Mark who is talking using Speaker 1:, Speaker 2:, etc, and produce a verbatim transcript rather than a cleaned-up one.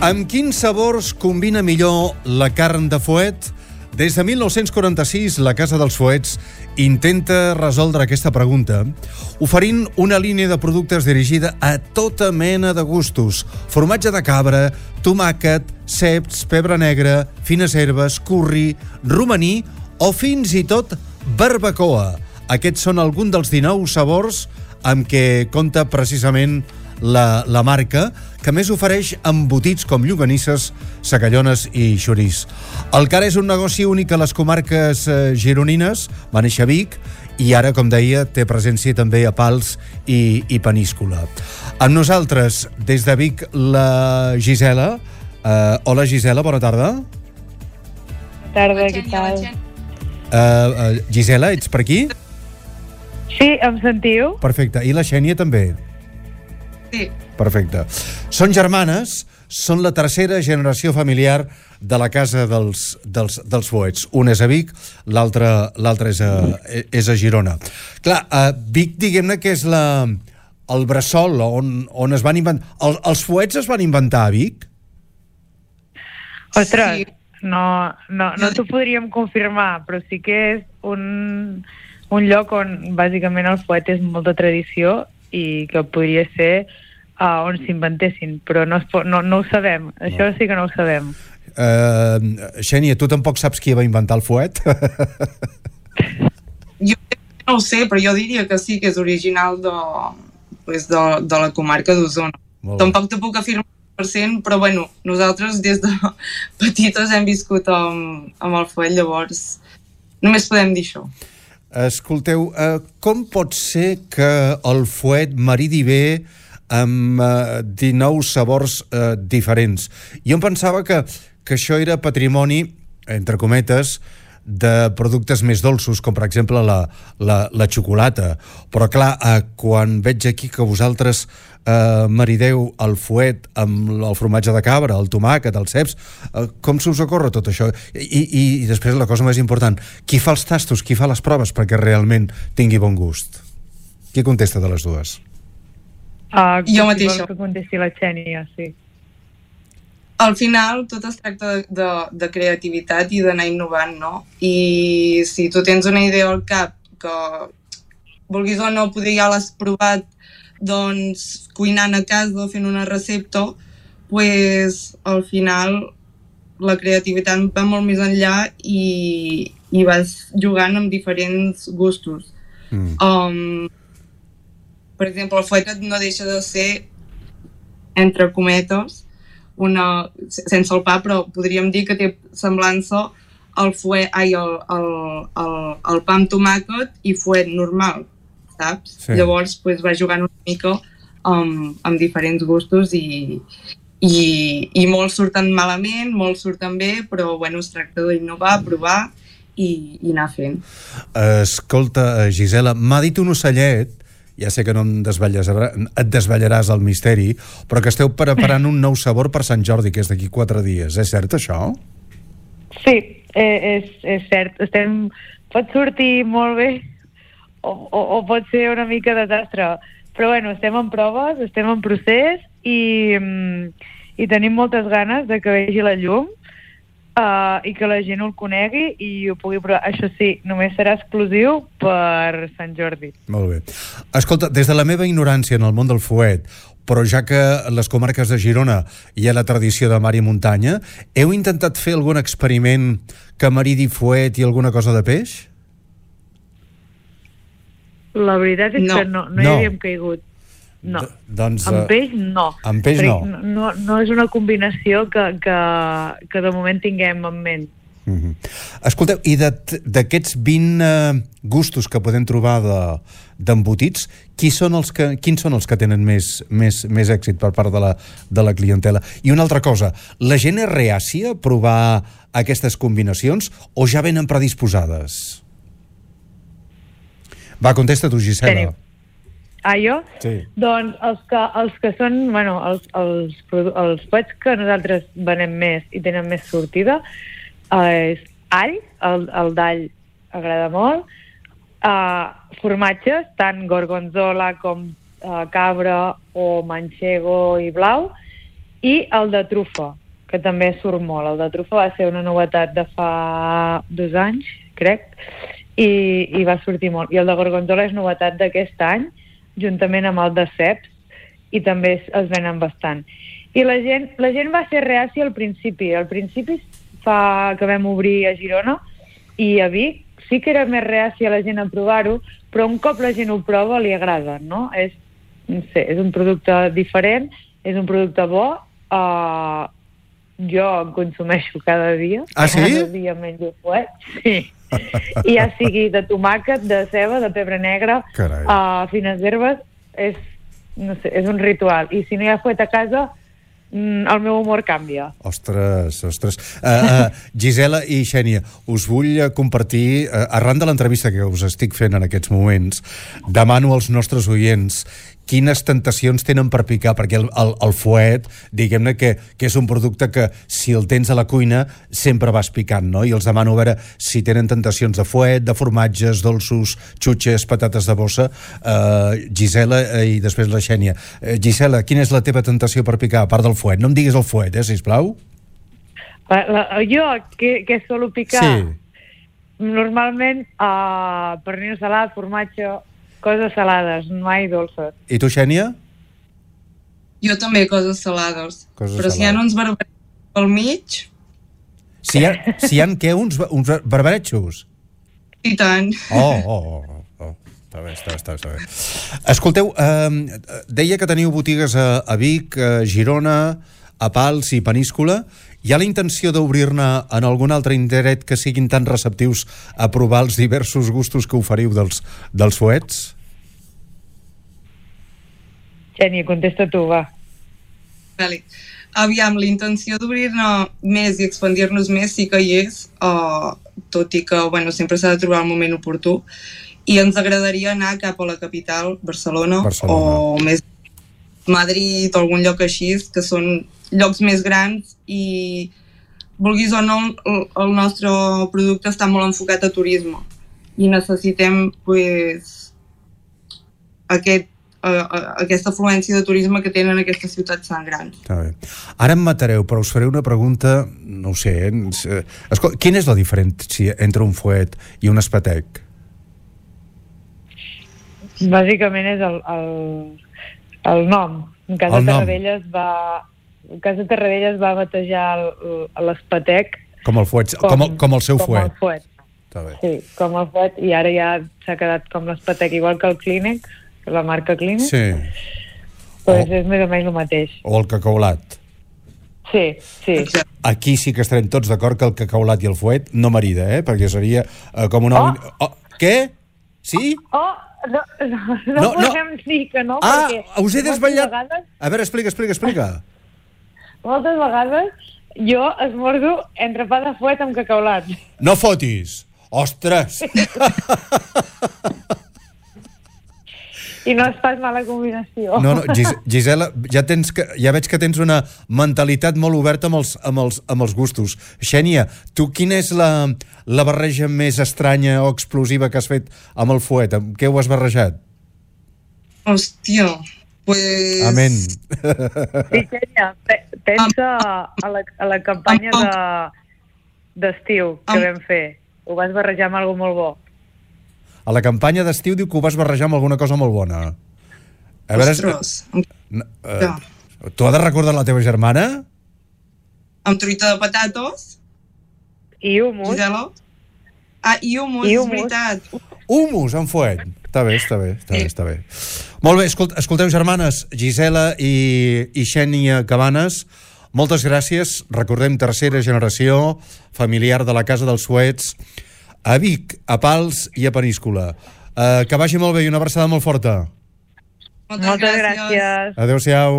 Speaker 1: Amb quins sabors combina millor la carn de fuet? Des de mil nou-cents quaranta-sis, la Casa dels Fuets intenta resoldre aquesta pregunta oferint una línia de productes dirigida a tota mena de gustos. Formatge de cabra, tomàquet, ceps, pebre negre, fines herbes, curri, romaní o fins i tot barbacoa. Aquests són alguns dels dinou sabors amb què compta precisament la, la marca, que més ofereix embotits com llonganisses, segallones i xoriç. El Cara és un negoci únic a les comarques eh, gironines, va néixer a Vic i ara, com deia, té presència també a Pals i, i Peníscola. Amb nosaltres, des de Vic, la Gisela. Eh, hola, Gisela, bona tarda.
Speaker 2: Bona tarda, què tal?
Speaker 1: Eh, eh, Gisela, ets per aquí?
Speaker 2: Sí, em sentiu?
Speaker 1: Perfecte. I la Xènia també?
Speaker 2: Sí.
Speaker 1: Perfecte. Són germanes, són la tercera generació familiar de la Casa dels, dels, dels Fuets. Un és a Vic, l'altre l'altre és, a, és a Girona. Clar, a Vic, diguem-ne que és la, el bressol on, on es van inventar... El, els fuets es van inventar a Vic?
Speaker 2: Ostres, sí. no, no, no t'ho podríem confirmar, però sí que és un, un lloc on bàsicament el fuet és molta tradició i que podria ser uh, on s'inventessin, però no, es pot, no, no ho sabem. Això no. Sí que no ho sabem.
Speaker 1: Uh, Xènia, tu tampoc saps qui va inventar el fuet?
Speaker 3: Jo no ho sé, però jo diria que sí, que és original de, pues de, de la comarca d'Osona. Tampoc te puc afirmar cent per cent, però bueno, nosaltres des de petites hem viscut amb, amb el fuet, llavors només podem dir això.
Speaker 1: Escolteu, eh, com pot ser que el fuet maridi bé amb eh, dinou sabors eh, diferents? Jo em pensava que, que això era patrimoni, entre cometes, de productes més dolços, com per exemple la, la, la xocolata. Però clar, eh, quan veig aquí que vosaltres eh, marideu el fuet amb el formatge de cabra, el tomàquet, els ceps, eh, com se us ocorre tot això? I, i, I després la cosa més important, qui fa els tastos, qui fa les proves perquè realment tingui bon gust? Qui contesta de les dues?
Speaker 2: Uh,
Speaker 3: jo mateixa.
Speaker 2: Que contesti la Xènia, sí.
Speaker 3: Al final tot es tracta de, de, de creativitat i d'anar innovant, no? I si tu tens una idea al cap que vulguis o no, poder ja l'has provat doncs cuinant a casa, fent una recepta, pues al final la creativitat va molt més enllà i, i vas jugant amb diferents gustos. Mm. Um, per exemple, el fuet no deixa de ser, entre cometes, una, sense el pa, però podríem dir que té semblança al fuet, ai, el, el, el, el pa amb tomàquet i fuet normal, saps? Sí. Llavors pues, va jugant una mica amb, amb diferents gustos i, i, i molts surten malament, molts surten bé, però bueno, es tracta d'innovar, provar i, i anar fent.
Speaker 1: Escolta, Gisela, m'ha dit un ocellet, ja sé que no em et desvetllaràs el misteri, però que esteu preparant un nou sabor per Sant Jordi, que és d'aquí quatre dies. És cert, això?
Speaker 2: Sí, eh, és, és cert. Estem... Pot sortir molt bé o, o, o pot ser una mica desastre. Però bueno, estem en proves, estem en procés i, i tenim moltes ganes de que vegi la llum uh, i que la gent el conegui i ho pugui provar. Això sí, només serà exclusiu per Sant Jordi.
Speaker 1: Molt bé. Escolta, des de la meva ignorància en el món del fuet, però ja que a les comarques de Girona hi ha la tradició de mar i muntanya, heu intentat fer algun experiment que maridi fuet i alguna cosa de peix?
Speaker 2: La veritat és no. que no, no, no hi havíem caigut. No, D doncs, amb peix no.
Speaker 1: Amb peix no.
Speaker 2: no. No és una combinació que, que, que de moment tinguem en ment.
Speaker 1: Mm-hmm. Escolteu, i d'aquests vint uh, gustos que podem trobar d'embotits, de, qui són els que, quins són els que tenen més, més, més èxit per part de la, de la clientela? I una altra cosa, la gent és reàcia a provar aquestes combinacions o ja venen predisposades? Va, contesta tu, Gisela.
Speaker 2: Tenim. Ah, jo?
Speaker 1: Sí.
Speaker 2: Doncs els que, els que són, bueno, els, els, els fuets que nosaltres venem més i tenen més sortida eh, és all, el, el d'all agrada molt, eh, formatges, tant gorgonzola com eh, cabra o manchego i blau, i el de trufa, que també surt molt. El de trufa va ser una novetat de fa dos anys, crec, i, i va sortir molt. I el de gorgonzola és novetat d'aquest any, juntament amb el de ceps, i també es, es venen bastant. I la gent, la gent va ser reàcia al principi. Al principi, fa que vam obrir a Girona i a Vic, sí que era més reàcia la gent a provar-ho, però un cop la gent ho prova li agrada, no? És, no sé, és un producte diferent, és un producte bo, uh, jo en consumeixo cada dia.
Speaker 1: Ah, sí?
Speaker 2: Cada dia menjo fuet, sí. I ja sigui de tomàquet, de ceba, de pebre negre, uh, fines herbes, és, no sé, és un ritual. I si no hi ha fuet a casa, el meu humor canvia.
Speaker 1: Ostres, ostres. Uh, uh, Gisela i Xènia, us vull compartir, uh, arran de l'entrevista que us estic fent en aquests moments, demano als nostres oients quines tentacions tenen per picar, perquè el, el, el fuet, diguem-ne que, que és un producte que, si el tens a la cuina, sempre vas picant, no? I els demano a veure si tenen tentacions de fuet, de formatges, dolços, xutxes, patates de bossa. Uh, Gisela uh, i després la Xènia. Uh, Gisela, quina és la teva tentació per picar, a part del fuet? No em diguis el fuet, eh, sisplau.
Speaker 2: La, la, jo, que, que solo picar?
Speaker 1: Sí.
Speaker 2: Normalment, uh, pernil salat, formatge, coses salades, mai dolces.
Speaker 1: I tu, Xènia?
Speaker 3: Jo també, coses salades.
Speaker 1: Coses
Speaker 3: Però
Speaker 1: salades.
Speaker 3: si hi ha uns barbarets pel mig...
Speaker 1: Si hi ha, si hi ha què? Uns, uns barbaretxos?
Speaker 3: I tant.
Speaker 1: Oh, oh, oh, oh. Està bé, està bé, està bé, està bé. Escolteu, eh, deia que teniu botigues a, a Vic, a Girona, a Pals i Peníscola. Hi ha la intenció d'obrir-ne en algun altre indret que siguin tan receptius a provar els diversos gustos que oferiu dels, dels fuets?
Speaker 2: Xènia, contesta tu, va.
Speaker 3: Vale. Aviam, la intenció d'obrir-ne més i expandir-nos més sí que hi és, uh, tot i que bueno, sempre s'ha de trobar el moment oportú, i ens agradaria anar cap a la capital, Barcelona,
Speaker 1: Barcelona.
Speaker 3: o més Madrid o algun lloc així, que són llocs més grans i, vulguis o no, el, el nostre producte està molt enfocat a turisme i necessitem pues, aquest, uh, aquesta afluència de turisme que tenen aquestes ciutats tan grans.
Speaker 1: Està bé. Ara em matareu, però us faré una pregunta, no ho sé, eh? Escolta, quina és la diferència entre un fuet i un espetec?
Speaker 2: Bàsicament és el, el, el nom. En cas de Tarradellas va... En cas de Tarradellas va batejar l'espetec
Speaker 1: com el fuet, com, com, el, com el seu
Speaker 2: com
Speaker 1: fuet.
Speaker 2: El fuet.
Speaker 1: Està bé.
Speaker 2: Sí, com el fuet, i ara ja s'ha quedat com l'espetec, igual que el Clínic, la marca Clínic.
Speaker 1: Sí.
Speaker 2: Pues
Speaker 1: o,
Speaker 2: és més o menys el mateix.
Speaker 1: O el cacaulat.
Speaker 2: Sí, sí.
Speaker 1: Aquí sí que estarem tots d'acord que el cacaulat i el fuet no marida, eh? Perquè seria uh, com una...
Speaker 2: Oh.
Speaker 1: Oh, què? Sí?
Speaker 2: Oh, no, no, no, no podem no. dir que no,
Speaker 1: ah,
Speaker 2: perquè...
Speaker 1: us he desvetllat...
Speaker 2: Vegades...
Speaker 1: A veure, explica, explica, explica.
Speaker 2: Moltes vegades jo esmorzo entre pa de fuet amb cacaulat.
Speaker 1: No fotis! Ostres!
Speaker 2: I no és pas mala combinació.
Speaker 1: No, no, Gis Gisela, ja, tens que, ja veig que tens una mentalitat molt oberta amb els, amb els, amb els gustos. Xènia, tu quina és la, la barreja més estranya o explosiva que has fet amb el fuet? Amb què ho has barrejat?
Speaker 3: Hòstia, pues...
Speaker 1: Amén.
Speaker 2: Sí, Xènia, pensa a la, a la campanya de d'estiu que vam fer. Ho vas barrejar amb alguna molt bo.
Speaker 1: A la campanya d'estiu diu que ho vas barrejar amb alguna cosa molt bona. A veure,
Speaker 3: Ostres.
Speaker 1: Uh, uh, tu has de recordar la teva germana?
Speaker 3: Amb truita de patates.
Speaker 2: I humus.
Speaker 3: Gisela? Ah, i humus, I humus. És veritat.
Speaker 1: Humus amb fuet. Està bé, està bé, està bé, està bé. Molt bé, escolt, escolteu, germanes, Gisela i, i Xènia Cabanes, moltes gràcies. Recordem, tercera generació familiar de la Casa dels Fuets, a Vic, a Pals i a Peníscola. Uh, que vagi molt bé i una abraçada molt forta.
Speaker 3: Moltes, Moltes gràcies.
Speaker 2: gràcies.
Speaker 1: Adéu-siau.